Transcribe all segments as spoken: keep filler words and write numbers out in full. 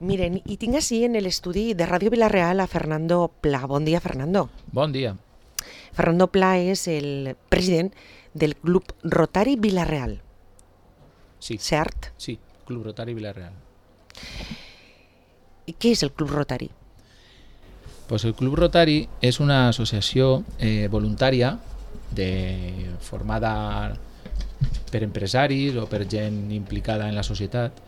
Miren, i tinc així en l'estudi de Ràdio Vila-real a Fernando Pla. Bon dia, Fernando. Bon dia. Fernando Pla és el president del Club Rotari Vila-real. Sí. Cert? Sí, Club Rotari Vila-real. I què és el Club Rotari? Pues el Club Rotari és una associació eh, voluntària de, formada per empresaris o per gent implicada en la societat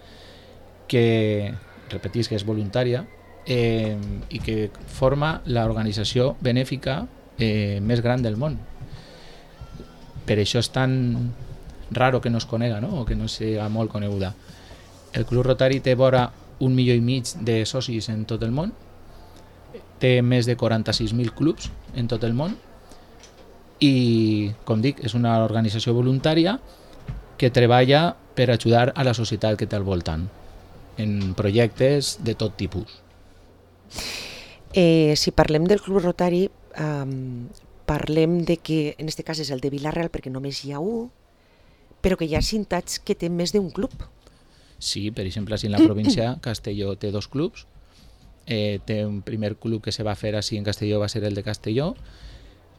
que, repetís que és voluntària eh, i que forma l'organització benèfica eh, més gran del món. Per això és tan raro que no es conega, no? O que no sigui molt coneguda. El Club Rotari té vora un milió i mig de socis en tot el món, té més de quaranta-sis mil clubs en tot el món i, com dic, és una organització voluntària que treballa per ajudar a la societat que té al voltant en projectes de tot tipus. Eh, si parlem del Club Rotari, um, parlem de que, en aquest cas és el de Vila-real perquè només hi ha un, però que hi ha ciutats que té més d'un club. Sí, per exemple, si en la província Castelló té dos clubs, eh, té un primer club que se va fer així en Castelló, va ser el de Castelló,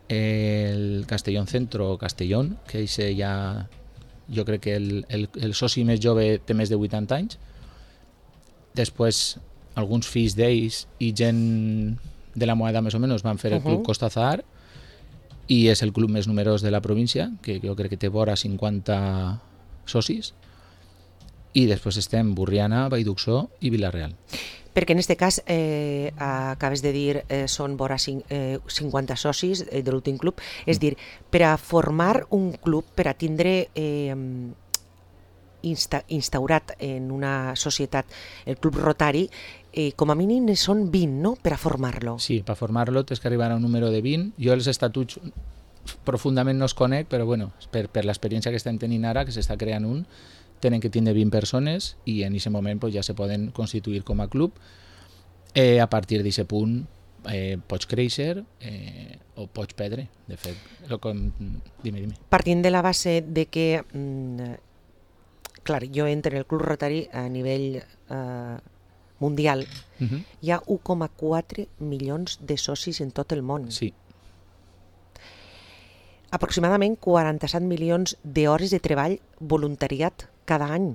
el Castellón Centro o Castellón, que eixe ja, jo crec que el, el, el soci més jove té més de vuitanta anys. Després, alguns fills d'ells i gent de la moeda més o menys van fer el Club Costa Zahar i és el club més numerós de la província, que jo crec que té vora cinquanta socis. I després estem Burriana, Vallduxó i Vila-real. Perquè en aquest cas, eh, acabes de dir, eh, són vora eh, cinquanta socis eh, de l'últim club. És dir, per a formar un club, per a tindre eh, insta instaurat en una societat el Club Rotari, eh, com a mínim són vint, no?, per a formar-lo. Sí, per formar-lo tens que arribar a un número de vint. Jo els estatuts profundament no els conec, però bueno, per, per l'experiència que estem tenint ara, que s'està creant un, tenen que tindre vint persones i en aquest moment pues, ja se poden constituir com a club. Eh, a partir d'aquest punt eh, pots créixer eh, o pots perdre, de fet. Com... Dime, dime. Partint de la base de que, mm, clar, jo entro en el Club Rotari a nivell eh, mundial, uh-huh. Hi ha un coma quatre milions de socis en tot el món. Sí. Aproximadament quaranta-set milions d'hores de treball voluntariat cada any.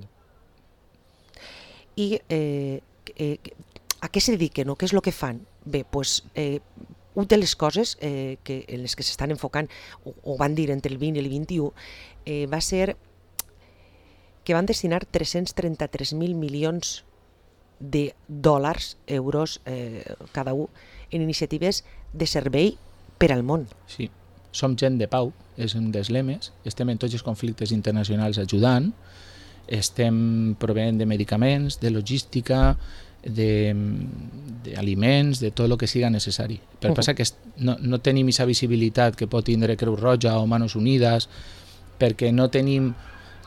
I eh, eh, a què se dediquen o què és el que fan? Bé, doncs, eh, una de les coses eh, que, en les que s'estan enfocant, o, o van dir entre el vint i el vint-i-u, eh, va ser que van destinar tres-cents trenta-tres mil milions de dòlars, euros, eh, cada un, en iniciatives de servei per al món. Sí. Som gent de pau, és un dels lemes, estem en tots els conflictes internacionals ajudant, estem proveint de medicaments, de logística, d'aliments, de, de tot el que siga necessari. Per uh-huh. Passa que no, no tenim aquesta visibilitat que pot tindre Creu Roja o Manos Unides, perquè no tenim...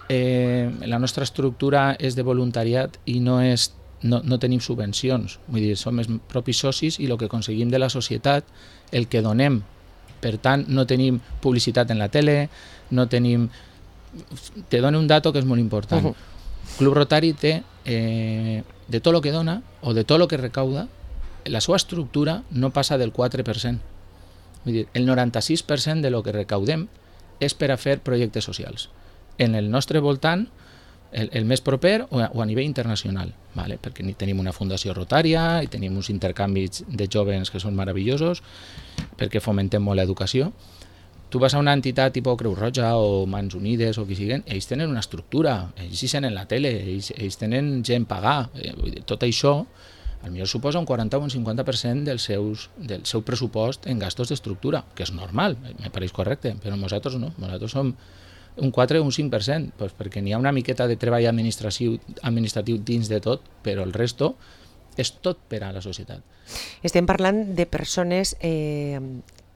Eh, la nostra estructura és de voluntariat i no, és, no, no tenim subvencions. Vull dir, som els propis socis i el que aconseguim de la societat, el que donem. Per tant, no tenim publicitat en la tele, no tenim... Te dono un dato que és molt important. Uh-huh. Club Rotari té, eh, de tot el que dona o de tot el que recauda, la seva estructura no passa del quatre per cent. Vull dir, el noranta-sis per cent de lo que recaudem és per a fer projectes socials. En el nostre voltant, el, el més proper o a, o a nivell internacional, vale? Perquè tenim una fundació rotària i tenim uns intercanvis de joves que són meravellosos, perquè fomentem molt l'educació. Tu vas a una entitat tipus Creu Roja o Mans Unides o qui siguen, ells tenen una estructura, ells hi sent en la tele, ells, ells tenen gent pagar. Tot això, potser suposa un quaranta o un cinquanta per cent del, seus, del seu pressupost en gastos d'estructura, que és normal, me pareix correcte, però nosaltres no, nosaltres som un quatre o un cinc per cent, doncs perquè n'hi ha una miqueta de treball administratiu, administratiu dins de tot, però el resto és tot per a la societat. Estem parlant de persones eh,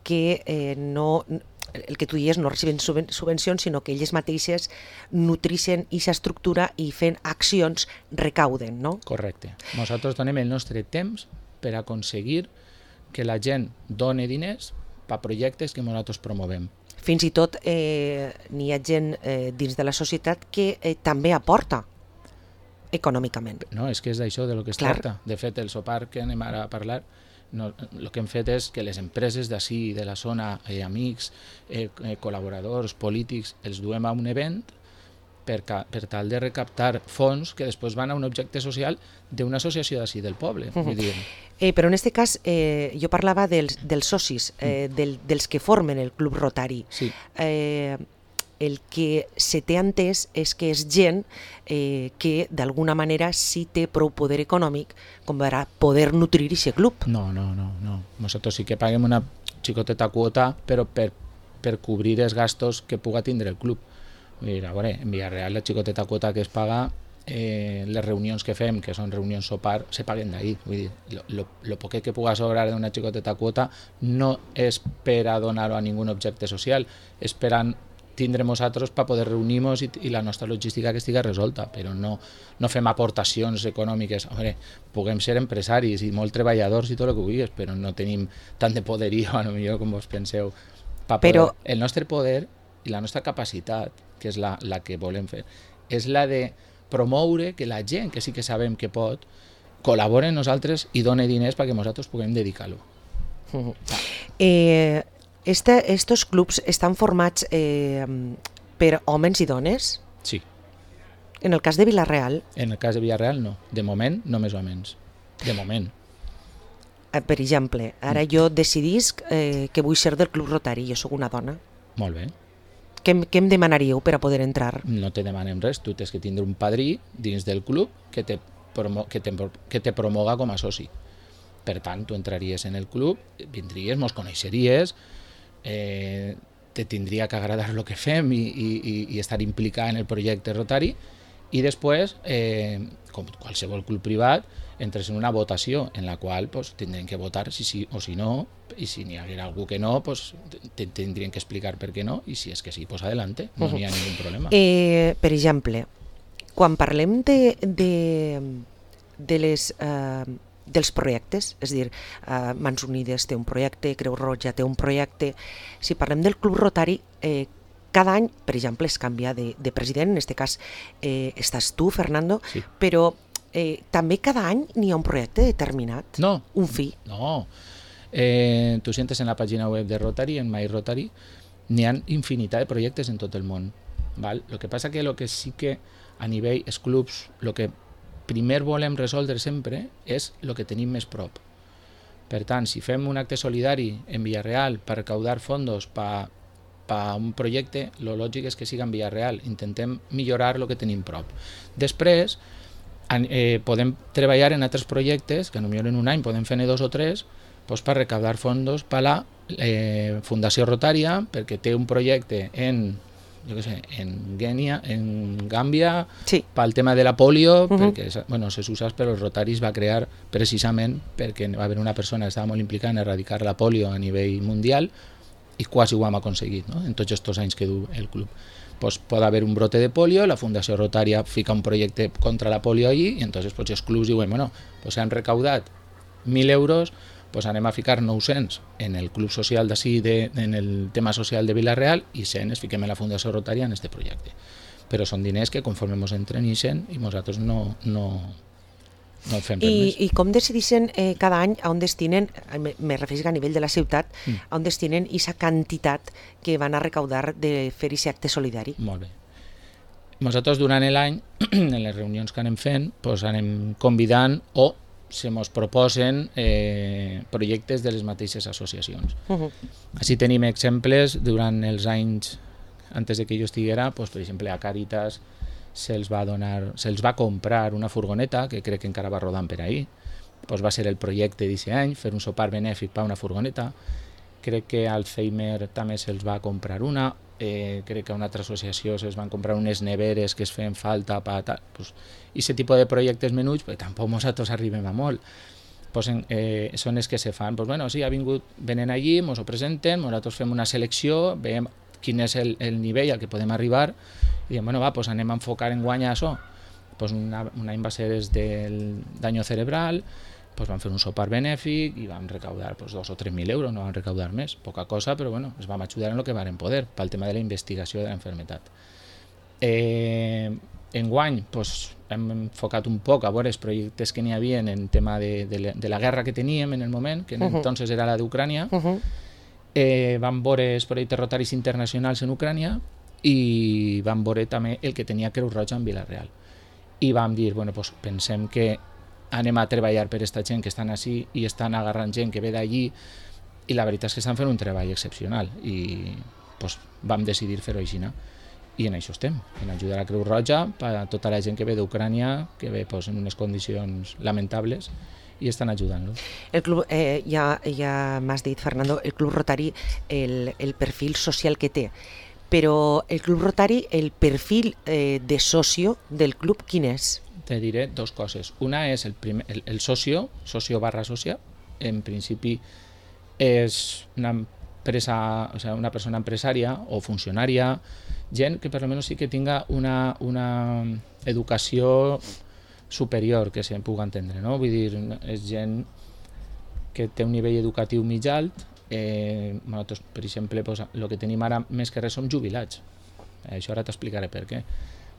que eh, no, el que tu dius, no reciben subvencions, sinó que elles mateixes nutrixen aquesta estructura i fent accions recauden, no? Correcte. Nosaltres donem el nostre temps per aconseguir que la gent doni diners per projectes que nosaltres promovem. Fins i tot eh, n'hi ha gent eh, dins de la societat que eh, també aporta. econòmicament. No, és que és d'això de lo que es Clar. tracta. De fet, el sopar que anem ara a parlar, no, el que hem fet és que les empreses d'ací, de la zona, eh, amics, eh, eh, col·laboradors, polítics, els duem a un event per, ca, per tal de recaptar fons que després van a un objecte social d'una associació d'ací del poble. Uh-huh. Vull dir, Eh, però en aquest cas eh, jo parlava dels, dels socis, eh, del, dels que formen el Club Rotari. sí, Eh, el que se té entès és que és gent eh, que d'alguna manera sí té prou poder econòmic com per a poder nutrir aquest club. no, no, no, no. Nosaltres sí que paguem una xicoteta quota, però per, per cobrir els gastos que puga tindre el club. Vull dir, a veure, en Villarreal la xicoteta quota que es paga, eh, les reunions que fem, que són reunions sopar, se paguen d'ahir. Vull dir, lo, lo, lo poquet que puga sobrar d'una xicoteta quota no és per a donar-ho a ningun objecte social, és per a tindre nosaltres per poder reunir-nos i, i la nostra logística que estigui resolta, però no, no fem aportacions econòmiques. A veure, puguem ser empresaris i molt treballadors i tot el que vulguis, però no tenim tant de poderío, a lo millor, com vos penseu. Pa poder, Però- el nostre poder i la nostra capacitat, que és la, la que volem fer, és la de promoure que la gent que sí que sabem que pot col·labore amb nosaltres i doni diners perquè nosaltres puguem dedicar-lo. Uh-huh. Eh, este, estos clubs estan formats eh, per homes i dones? Sí. En el cas de Vila-real, En el cas de Villarreal, no. De moment, només homes. De moment. eh, per exemple, ara jo decidisc eh, que vull ser del Club Rotari, jo sóc una dona. Molt bé. Què, em- què em demanaríeu per a poder entrar? No te demanem res, tu tens que tindre un padrí dins del club que te, promo, que te, que te promoga com a soci. Per tant, tu entraries en el club, vindries, mos coneixeries, eh, te tindria que agradar el que fem i, i, i- i estar implicat en el projecte Rotari, i després, eh, com qualsevol club privat, entres en una votació en la qual pues, tindrem que votar si sí o si no, i si n'hi haguera algú que no, pues, te tindrien que explicar per què no, i si és que sí, pues adelante, no n'hi ha ningú problema. Eh, per exemple, quan parlem de, de, de les, eh, dels projectes, és a dir, eh, Mans Unides té un projecte, Creu Roja té un projecte, si parlem del Club Rotari, eh, cada any, per exemple, es canvia de, de president, en aquest cas eh, estàs tu, Fernando, Sí. però eh, també cada any n'hi ha un projecte determinat, No, un fi. no. Eh, tu sientes en la pàgina web de Rotary, en My Rotary, n'hi ha infinitat de projectes en tot el món. Val? Lo que passa que lo que sí que a nivell els clubs, lo que primer volem resoldre sempre és el que tenim més prop. Per tant, si fem un acte solidari en Villarreal per recaudar fondos per pa un projecte, lo lògic és que siga en Villarreal. Intentem millorar el que tenim prop. Després, eh, podem treballar en altres projectes, que potser en un any podem fer-ne dos o tres, doncs per recaudar fondos per la eh, Fundació Rotària, perquè té un projecte en, jo què sé, en Guinea, en Gàmbia, Sí. pel tema de la polio, Uh-huh. perquè, bueno, se saps, però els Rotaris va crear precisament perquè va haver una persona que estava molt implicada en erradicar la polio a nivell mundial i quasi ho hem aconseguit, no? En tots aquests anys que du el club. Pues pot haver un brote de polio, la Fundació Rotària fica un projecte contra la polio allí i entonces pues, els clubs diuen, bueno, pues han recaudat mil euros, pues anem a ficar nou-cents en el club social d'ací, de, en el tema social de Vila-real, i cent es fiquem en la Fundació Rotària en este projecte. Però són diners que conforme ens entren i cent i nosaltres no, no, no fem res I, més. I com decideixen eh, cada any a on destinen, eh, me, me refereixo a nivell de la ciutat, Mm. a on destinen aquesta quantitat que van a recaudar de fer aquest acte solidari? Molt bé. Nosaltres durant l'any, en les reunions que anem fent, pues anem convidant o se mos proposen eh, projectes de les mateixes associacions. Uh -huh. Així tenim exemples durant els anys antes de que jo estiguera, pues, per exemple a Càritas se'ls va donar, se'ls va comprar una furgoneta que crec que encara va rodant per ahir. Pues va ser el projecte d'aquest any, fer un sopar benèfic per una furgoneta. Crec que a Alzheimer també se'ls va comprar una, eh, crec que a una altra associació se'ls van comprar unes neveres que es feien falta per tal. Pues, i aquest tipus de projectes menuts, pues, tampoc nosaltres arribem a molt. Pues, en, eh, són els que se fan. Pues, bueno, sí, ha vingut, venen allí, ens ho presenten, nosaltres fem una selecció, veiem quin és el, el nivell al que podem arribar i diem, bueno, va, pues anem a enfocar en guanyar això. Pues una, un any va ser des del daño cerebral, pues vam fer un sopar benèfic i vam recaudar pues, dos o tres mil euros, no vam recaudar més, poca cosa, però bueno, ens vam ajudar en el que vam poder pel tema de la investigació de la enfermetat. Eh, enguany, pues, hem enfocat un poc a veure els projectes que n'hi havia en tema de, de, la, de la guerra que teníem en el moment, que uh-huh. entonces era la d'Ucrània. Uh-huh. eh, vam veure els projectes rotaris internacionals en Ucrània i vam veure també el que tenia Creu Roja en Vila-real. I vam dir, bueno, pues pensem que anem a treballar per aquesta gent que estan així i estan agarrant gent que ve d'allí, i la veritat és que estan fent un treball excepcional i pues, vam decidir fer-ho així. I en això estem, en ajudar a Creu Roja a tota la gent que ve d'Ucrània, que ve pues, en unes condicions lamentables, i estan ajudant-lo. El club, eh, ja, ja m'has dit, Fernando, el Club Rotari, el, el perfil social que té, però el Club Rotari, el perfil eh, de socio del club, quin és? Te diré dos coses. Una és el, primer, el, el socio, socio barra socia, en principi és una empresa, o sea, una persona empresària o funcionària, gent que per almenys sí que tinga una, una educació superior, que se'n pugui entendre, no? Vull dir, és gent que té un nivell educatiu mig alt. Eh, nosaltres, per exemple, pues, el que tenim ara més que res som jubilats. Eh, això ara t'explicaré per què.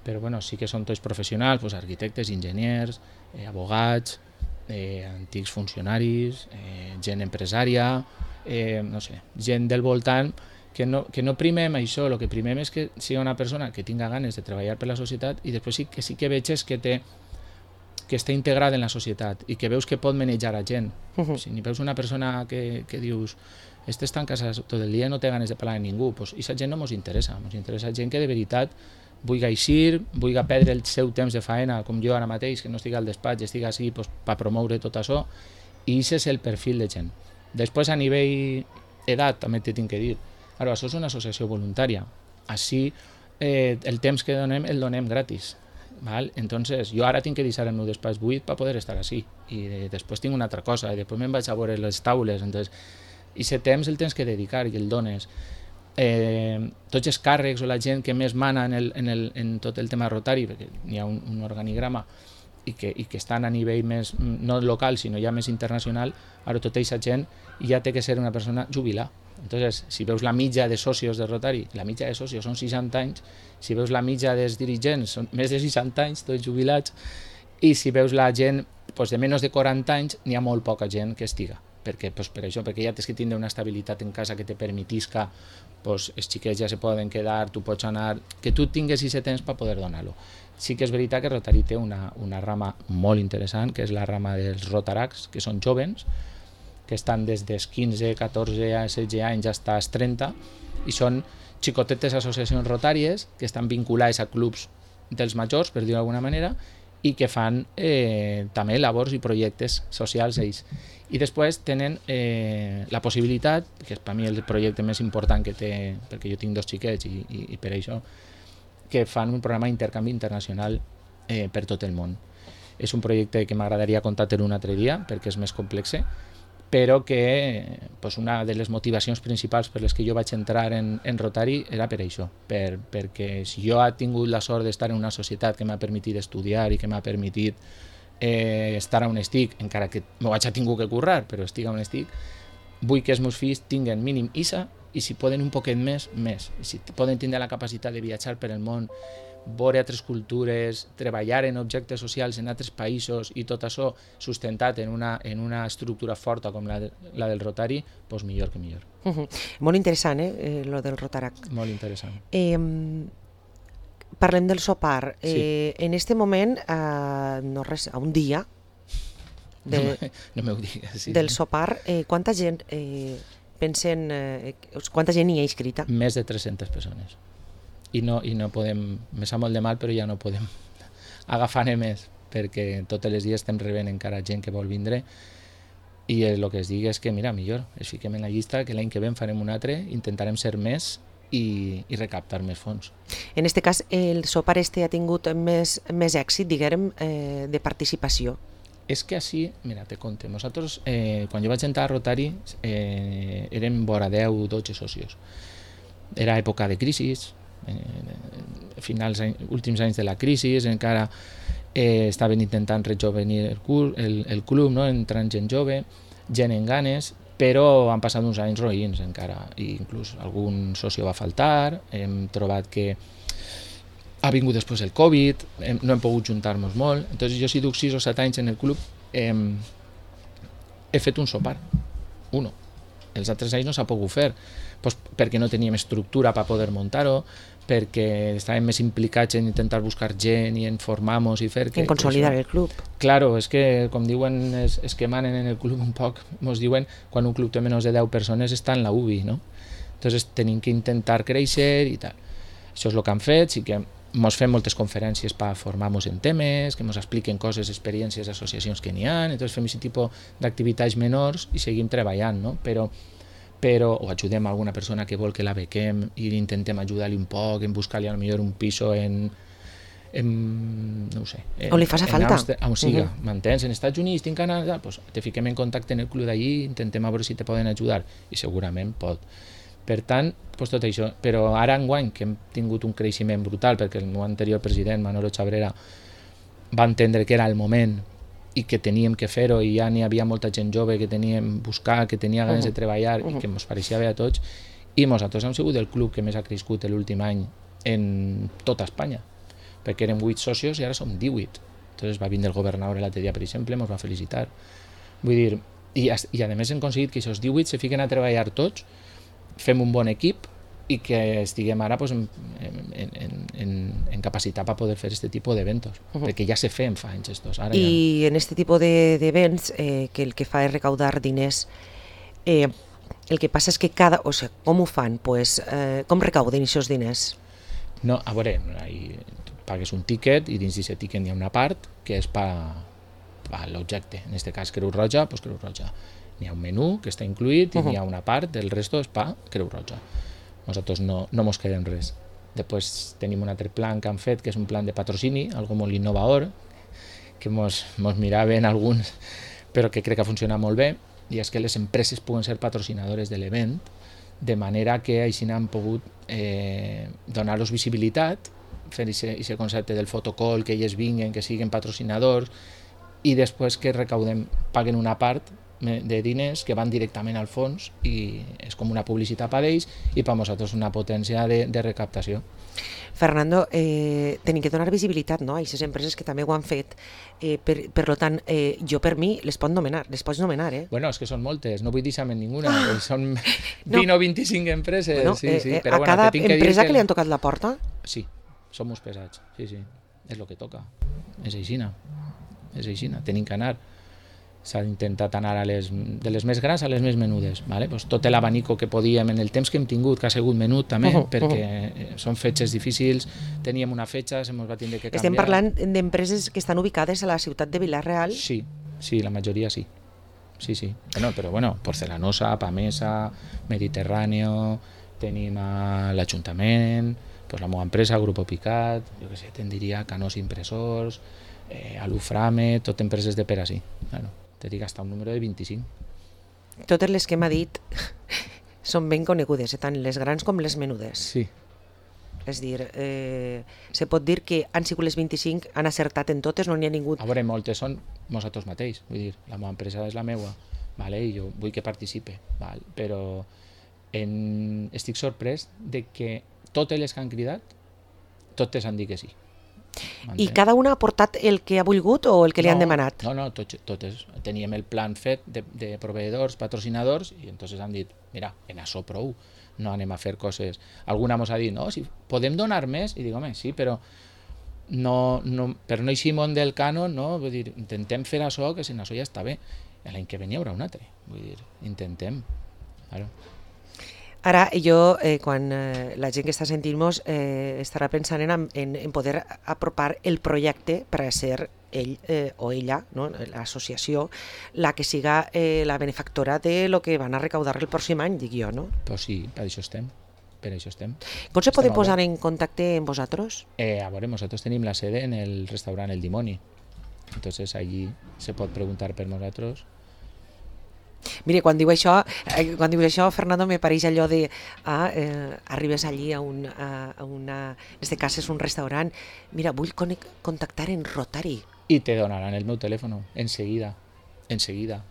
Però bueno, sí que són tots professionals, pues, arquitectes, enginyers, eh, abogats, eh, antics funcionaris, eh, gent empresària, eh, no sé, gent del voltant, que no, que no primem això, el que primem és que sigui una persona que tinga ganes de treballar per la societat i després sí que sí que veig és que té que està integrada en la societat i que veus que pot manejar a gent. Uh-huh. Si ni veus una persona que, que dius este està en casa tot el dia i no té ganes de parlar amb ningú, pues, i aquesta gent no ens interessa, ens interessa gent que de veritat vulgui eixir, vulgui perdre el seu temps de faena, com jo ara mateix, que no estic al despatx, estic així pues, per promoure tot això, i aquest és el perfil de gent. Després, a nivell edat, també t'he tinc que dir, ara, això és una associació voluntària, així eh, el temps que donem el donem gratis. Val? Entonces, jo ara tinc que deixar el meu despatx buit per poder estar així, i de, després tinc una altra cosa, i després me'n vaig a veure les taules, entonces, i aquest temps el tens que dedicar i el dones. Eh, tots els càrrecs o la gent que més mana en, el, en, el, en tot el tema rotari, perquè hi ha un, un organigrama i que, i que estan a nivell més, no local, sinó ja més internacional, ara tota aquesta gent ja té que ser una persona jubilada. Entonces, si veus la mitja de socios de Rotary, la mitja de socios són seixanta anys, si veus la mitja dels dirigents són més de seixanta anys, tots jubilats, i si veus la gent pues, de menys de quaranta anys, n'hi ha molt poca gent que estiga. Perquè, pues, per això, perquè ja tens que tindre una estabilitat en casa que te permetisca, pues, els xiquets ja se poden quedar, tu pots anar, que tu tingues aquest temps per poder donar-lo. Sí que és veritat que Rotary té una, una rama molt interessant, que és la rama dels Rotaracs, que són jovens, que estan des dels quinze, catorze, setze anys fins als trenta, i són xicotetes associacions rotàries que estan vinculades a clubs dels majors, per dir-ho d'alguna manera, i que fan eh, també labors i projectes socials ells. I després tenen eh, la possibilitat, que és per mi el projecte més important que té, perquè jo tinc dos xiquets i, i, i per això, que fan un programa d'intercanvi internacional eh, per tot el món. És un projecte que m'agradaria contar-te un altre dia, perquè és més complex, però que pues, una de les motivacions principals per les que jo vaig entrar en, en Rotary era per això, per, perquè si jo he tingut la sort d'estar en una societat que m'ha permitit estudiar i que m'ha permitit eh, estar on estic, encara que m'ho vaig a tingut que currar, però estic on estic, vull que els meus fills tinguen mínim I S A i si poden un poquet més, més. I si poden tindre la capacitat de viatjar per el món, veure altres cultures, treballar en objectes socials en altres països i tot això sustentat en una, en una estructura forta com la, de, la del Rotary, doncs millor que millor. Uh -huh. Molt interessant, eh, eh, lo del Rotarac. Molt interessant. Eh, parlem del sopar. Eh, sí. En este moment, eh, no res, a un dia de, no m'ho digues. Sí. Del sopar, eh, quanta gent eh, pensen, eh, quanta gent hi ha inscrita? Més de tres-centes persones. I no, i no podem, me sap molt de mal, però ja no podem agafar-ne més, perquè tots els dies estem rebent encara gent que vol vindre i el que es digui és que, mira, millor, es fiquem en la llista, que l'any que ve en farem un altre, intentarem ser més i, i recaptar més fons. En aquest cas, el sopar este ha tingut més, més èxit, diguem, eh, de participació. És que així, mira, te conte, nosaltres, eh, quan jo vaig entrar a Rotary, eh, érem vora deu dotze socios. Era època de crisi, eh, finals, últims anys de la crisi, encara eh, estaven intentant rejovenir el, cul, el, el club, no? Entrant gent jove, gent en ganes, però han passat uns anys roïns encara, i inclús algun socio va faltar, hem trobat que ha vingut després el Covid, hem, no hem pogut juntar-nos molt, entonces jo si duc sis o set anys en el club, eh, he fet un sopar, uno. Els altres anys no s'ha pogut fer, pues perquè no teníem estructura per poder muntar-ho, perquè estàvem més implicats en intentar buscar gent i en formar-nos i fer... Que, en consolidar que el club. Claro, és que, com diuen, és, és que manen en el club un poc, ens diuen, quan un club té menys de deu persones està en la U B I, no? Entonces tenim que intentar créixer i tal. Això és el que han fet, sí que ens fem moltes conferències per formar-nos en temes, que ens expliquen coses, experiències, associacions que n'hi ha, entonces fem aquest tipus d'activitats menors i seguim treballant, no? Però però o ajudem a alguna persona que vol que la bequem i intentem ajudar-li un poc en buscar-li a lo millor un piso en, en no ho sé, en, on li faci falta, Amster, on siga, uh -huh. m'entens? En Estats Units, en Canadà, pues te fiquem en contacte en el club d'allí, intentem a veure si te poden ajudar i segurament pot. Per tant, pues tot això, però ara enguany que hem tingut un creixement brutal perquè el meu anterior president, Manolo Chabrera, va entendre que era el moment i que teníem que fer-ho i ja n'hi havia molta gent jove que teníem buscar, que tenia ganes uh -huh. de treballar uh -huh. i que ens pareixia bé a tots, i nosaltres hem sigut el club que més ha crescut l'últim any en tota Espanya, perquè érem vuit socios i ara som divuit. Entonces va vindre el governador l'altre dia, per exemple, ens va felicitar. Vull dir, i, i a més hem aconseguit que aquests divuit se fiquen a treballar tots, fem un bon equip i que estiguem ara pues, en, en, en, en, en capacitat per poder fer aquest tipus d'eventos, uh -huh. perquè ja se feien fa anys estos. Ara I ja... en aquest tipus d'events, eh, que el que fa és recaudar diners, eh, el que passa és que cada... O sigui, com ho fan? Pues, eh, com recauden aquests diners? No, a veure, hi, pagues un tiquet i dins d'aquest tiquet hi ha una part que és per pa l'objecte. En aquest cas, Creu Roja, doncs Creu Roja. N'hi ha un menú que està incluït i uh -huh. n'hi ha una part, del resto és per Creu Roja. Nosaltres no, no mos quedem res. Després tenim un altre plan que han fet, que és un plan de patrocini, algo molt innovador, que mos, mos miraven alguns, però que crec que funciona molt bé, i és que les empreses puguen ser patrocinadores de l'event, de manera que així han pogut eh, donar-los visibilitat, fer aquest concepte del fotocall, que ells vinguen, que siguin patrocinadors, i després que recaudem, paguen una part de diners que van directament al fons i és com una publicitat per ells i per nosaltres una potència de, de recaptació. Fernando, eh, tenim que donar visibilitat, no?, a aquestes empreses que també ho han fet, eh, per, per tant, eh, jo per mi les pot nomenar, les pots nomenar, eh? Bueno, és que són moltes, no vull dir-se'n ninguna, ah, són vint no. o vint-i-cinc empreses. Bueno, sí, eh, sí, eh, però a bueno, cada que empresa que, que li han tocat la porta? Sí, som molt pesats, sí, sí, és el que toca, és aixina, és aixina, tenim que anar. S'ha intentat anar a les, de les més grans a les més menudes. Vale? Pues tot l'abanico que podíem en el temps que hem tingut, que ha sigut menut també, uh -huh, perquè uh -huh. són fetges difícils, teníem una fetge, se ens va tindre que canviar. Estem parlant d'empreses que estan ubicades a la ciutat de Vila-real? Sí, sí, la majoria sí. Sí, sí. Bueno, però bueno, Porcelanosa, Pamesa, Mediterráneo, tenim a l'Ajuntament, pues la meva empresa, Grupo Picat, jo què sé, te'n diria Canós Impressors, eh, Aluframe, tot empreses de per així. Bueno, te dic hasta un número de vint-i-cinc. Totes les que m'ha dit són ben conegudes, eh? Tant les grans com les menudes. Sí. És dir, eh, se pot dir que han sigut les vint-i-cinc, han acertat en totes, no n'hi ha ningú... A veure, moltes són nosaltres mateix, vull dir, la meva empresa és la meua, vale? I jo vull que participe, val? Però en... estic sorprès de que totes les que han cridat, totes han dit que sí. I cada una ha portat el que ha volgut o el que li no, han demanat? No, no, tots, totes. Teníem el plan fet de, de proveïdors, patrocinadors, i entonces han dit, mira, en això prou, no anem a fer coses. Alguna mos ha dit, no, si podem donar més, i dic, home, sí, però no, no, per no eixir món del cànon, no, vull dir, intentem fer això, que si no, això ja està bé. L'any que venia hi haurà un altre, vull dir, intentem. Claro. Ara, jo, eh, quan eh, la gent que està sentint-nos eh, estarà pensant en, en, en poder apropar el projecte per a ser ell eh, o ella, no? L'associació, la que siga eh, la benefactora de lo que van a recaudar el pròxim any, dic jo, no? Pues sí, per això estem. Per això estem. Com se poden posar en contacte amb vosaltres? Eh, a veure, nosaltres tenim la sede en el restaurant El Dimoni. Entonces allí se pot preguntar per nosaltres. Mire, quan diu això, eh, quan dius això, Fernando, me pareix allò de ah, eh, arribes allí a, un, a, a una... En este cas és un restaurant. Mira, vull contactar en Rotary. I te donaran el meu telèfon, enseguida. Enseguida.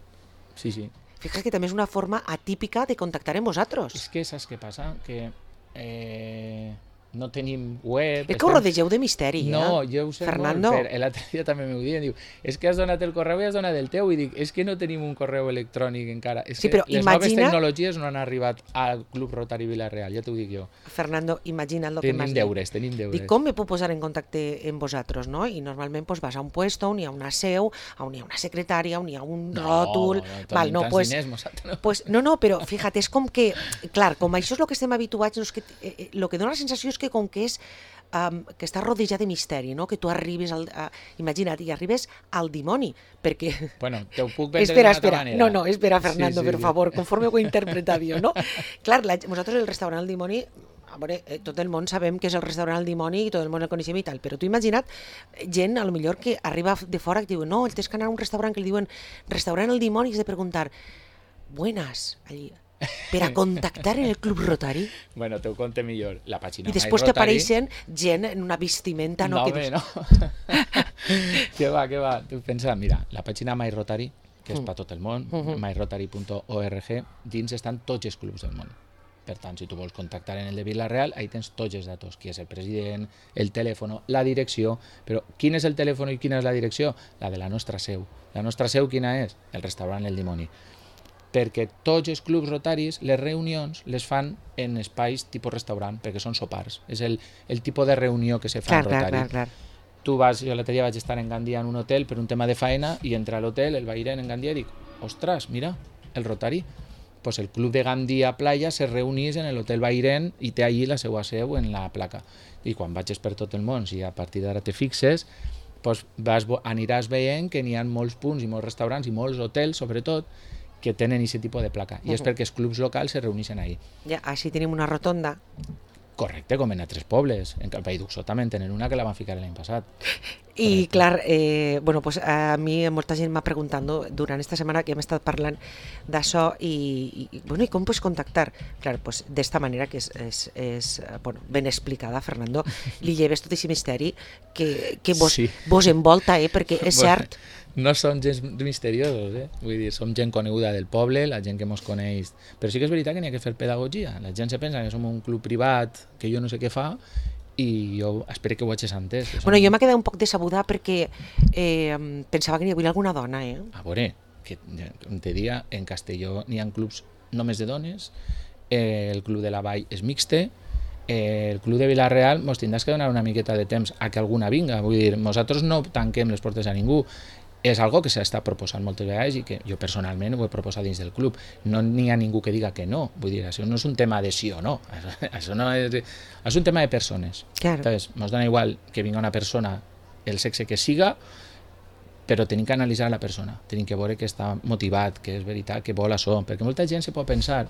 Sí, sí. Fixa't que també és una forma atípica de contactar amb vosaltres. És que saps què passa? Que eh, no tenim web... És que ho rodegeu de misteri, eh? No, jo ho sé Fernando. molt, però l'altre dia també m'ho diuen, diu, és que has donat el correu i has donat el teu, i dic, és que no tenim un correu electrònic encara, és Sí, que però les imagina... noves tecnologies no han arribat al Club Rotary Vila-real, ja t'ho dic jo. Fernando, imagina't el que m'has Tenim dit. deures, tenim deures. Dic, com me puc posar en contacte amb vosaltres, no? I normalment pues, vas a un puesto on hi ha una seu, on hi ha una secretària, on hi ha un No, ròtol... no, Val, no, pues, no. pues, no, no, però fíjate, és com que, clar, com això és el que estem habituats, no és que, eh, el que dona la sensació és que com que és Um, que està rodejat de misteri, no? Que tu arribes, al, a, imagina't, i arribes al dimoni, perquè... Bueno, te ho puc vendre espera, d'una altra espera. manera. No, no, espera, Fernando, sí, sí, per sí. favor, conforme ho he interpretat jo, no? Clar, la, nosaltres el restaurant El Dimoni, a veure, eh, tot el món sabem que és el restaurant El Dimoni i tot el món el coneixem i tal, però tu imagina't gent, a lo millor, que arriba de fora que diuen, no, tens que anar a un restaurant que li diuen restaurant El Dimoni i has de preguntar, buenas, allí, per a contactar en el Club Rotary. Bueno, te ho conte millor. La pàgina I després t'apareixen gent en una vestimenta... No, no, que bé, dius... no. Què va, què va? Tu pensa, mira, la pàgina My Rotary, que és Mm. per tot el món, Mhm. my rotary punt org, dins estan tots els clubs del món. Per tant, si tu vols contactar en el de Vila-real, ahí tens tots els datos, qui és el president, el telèfon, la direcció, però quin és el telèfon i quina és la direcció? La de la nostra seu. La nostra seu quina és? El restaurant El Dimoni. Perquè tots els clubs rotaris, les reunions, les fan en espais tipus restaurant, perquè són sopars. És el, el tipus de reunió que se fa Clar, en clar, rotari. clar, clar. Tu vas, jo l'altre dia vaig estar en Gandia en un hotel per un tema de faena i entra a l'hotel, el veïrem en Gandia i dic, ostres, mira, el rotari. Pues el club de Gandia Playa se reunís en l'hotel Bairén i té allí la seva seu en la placa. I quan vagis per tot el món, si a partir d'ara te fixes, pues vas, aniràs veient que n'hi ha molts punts i molts restaurants i molts hotels, sobretot, que tenen aquest tipus de placa. I és perquè els clubs locals se reuneixen ahí. Ja, així tenim una rotonda. Correcte, com en altres pobles. En el País d'Uxó també en tenen una que la van ficar l'any passat. I clar, eh, bueno, pues a mi molta gent m'ha preguntat no, durant esta setmana que hem estat parlant d'això i, i, bueno, i com pots contactar? Clar, pues d'esta manera que és, és, és bueno, ben explicada, Fernando, li lleves tot aquest misteri que, que vos, Sí. vos envolta, eh, perquè és cert. No som gens misteriosos, eh? Vull dir, som gent coneguda del poble, la gent que mos coneix. Però sí que és veritat que n'hi ha que fer pedagogia. La gent se pensa que som un club privat, que jo no sé què fa, i jo espero que ho hagis entès. Que som... Bueno, jo m'he quedat un poc decebuda perquè eh, pensava que n'hi havia alguna dona, eh? A veure, que com te dia, en Castelló n'hi ha clubs només de dones, eh, el club de la Vall és mixte, eh, el club de Vila-real mos tindràs que donar una miqueta de temps a que alguna vinga. Vull dir, nosaltres no tanquem les portes a ningú. És algo que s'està proposant moltes vegades i que jo personalment ho he proposat dins del club. No n'hi ha ningú que diga que no. Vull dir, això no és un tema de sí o no. Això no és, és un tema de persones. Claro. Entonces, nos dona igual que vinga una persona, el sexe que siga, però tenim que analitzar la persona. Tenim que veure que està motivat, que és veritat, que vol això. Perquè molta gent se pot pensar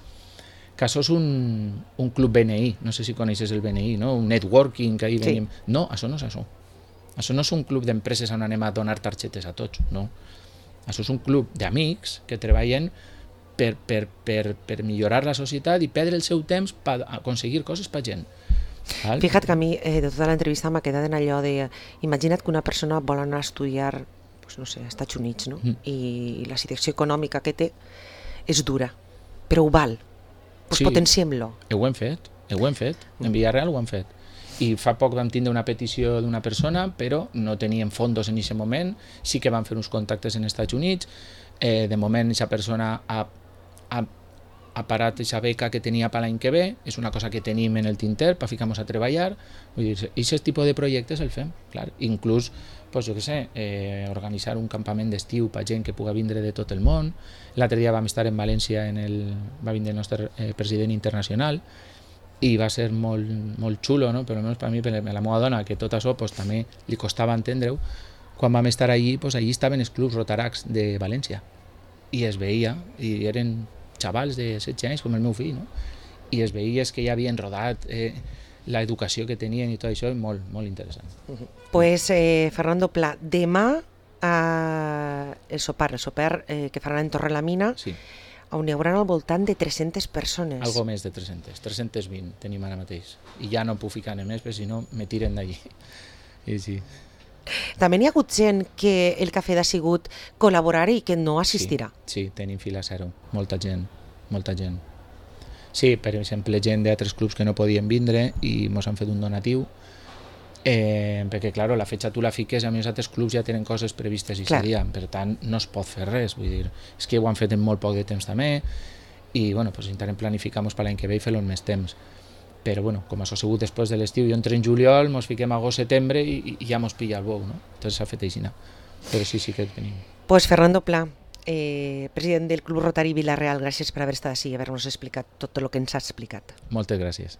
que això és un, un club B N I. No sé si coneixes el B N I, no? Un networking, que ahí Sí. venim. No, això no és això. Això no és un club d'empreses on anem a donar targetes a tots, no. Això és un club d'amics que treballen per, per, per, per millorar la societat i perdre el seu temps per aconseguir coses per gent. Val? Fíjate que a mi eh, de tota l'entrevista m'ha quedat en allò de imagina't que una persona vol anar a estudiar pues, no sé, als Estats Units, no? Mm. I la situació econòmica que té és dura, però ho val. Pues Sí. potenciem-lo. Ho hem fet, ho hem fet. En Villarreal ho hem fet. I fa poc vam tindre una petició d'una persona, però no teníem fondos en aquest moment, sí que vam fer uns contactes en Estats Units, eh, de moment aquesta persona ha, ha, ha parat aquesta beca que tenia per l'any que ve, és una cosa que tenim en el tinter per ficar-nos a treballar, vull dir, aquest tipus de projectes el fem, clar, inclús, pues, jo què sé, eh, organitzar un campament d'estiu per gent que puga vindre de tot el món. L'altre dia vam estar en València, en el, va vindre el nostre eh, president internacional, i va ser molt, molt xulo, no? Però almenys per mi, per la meva dona, que tot això pues, també li costava entendre-ho, quan vam estar allí, pues, allí estaven els clubs rotaracs de València i es veia, i eren xavals de setze anys com el meu fill, no? I es veia que ja havien rodat eh, l'educació que tenien i tot això, molt, molt interessant. Pues eh, Fernando Pla, demà eh, el sopar, el sopar eh, que faran en Torrelamina, Sí, on hi haurà al voltant de tres-centes persones. algo més de tres-centes, tres-centes vint tenim ara mateix. I ja no puc ficar més, perquè si no me tiren d'allí. I sí. També n'hi ha hagut gent que el cafè ha sigut col·laborar i que no assistirà. Sí, sí, tenim fila zero, molta gent, molta gent. Sí, per exemple, gent d'altres clubs que no podien vindre i ens han fet un donatiu, eh, perquè, clar, la fetge tu la fiques, a més altres clubs ja tenen coses previstes i serien, per tant, no es pot fer res, vull dir, és que ho han fet en molt poc de temps també, i, bueno, pues intentem planificar-nos per l'any que ve i fer-lo en més temps. Però, bueno, com això ha sigut després de l'estiu, jo entre en juliol, ens fiquem a agost-setembre i, i ja ens pilla el bou, no? Entonces s'ha fet així, no? Però sí, sí que tenim. Pues Fernando Pla, eh, president del Club Rotari Vila-real, gràcies per haver estat així i haver-nos explicat tot el que ens has explicat. Moltes gràcies.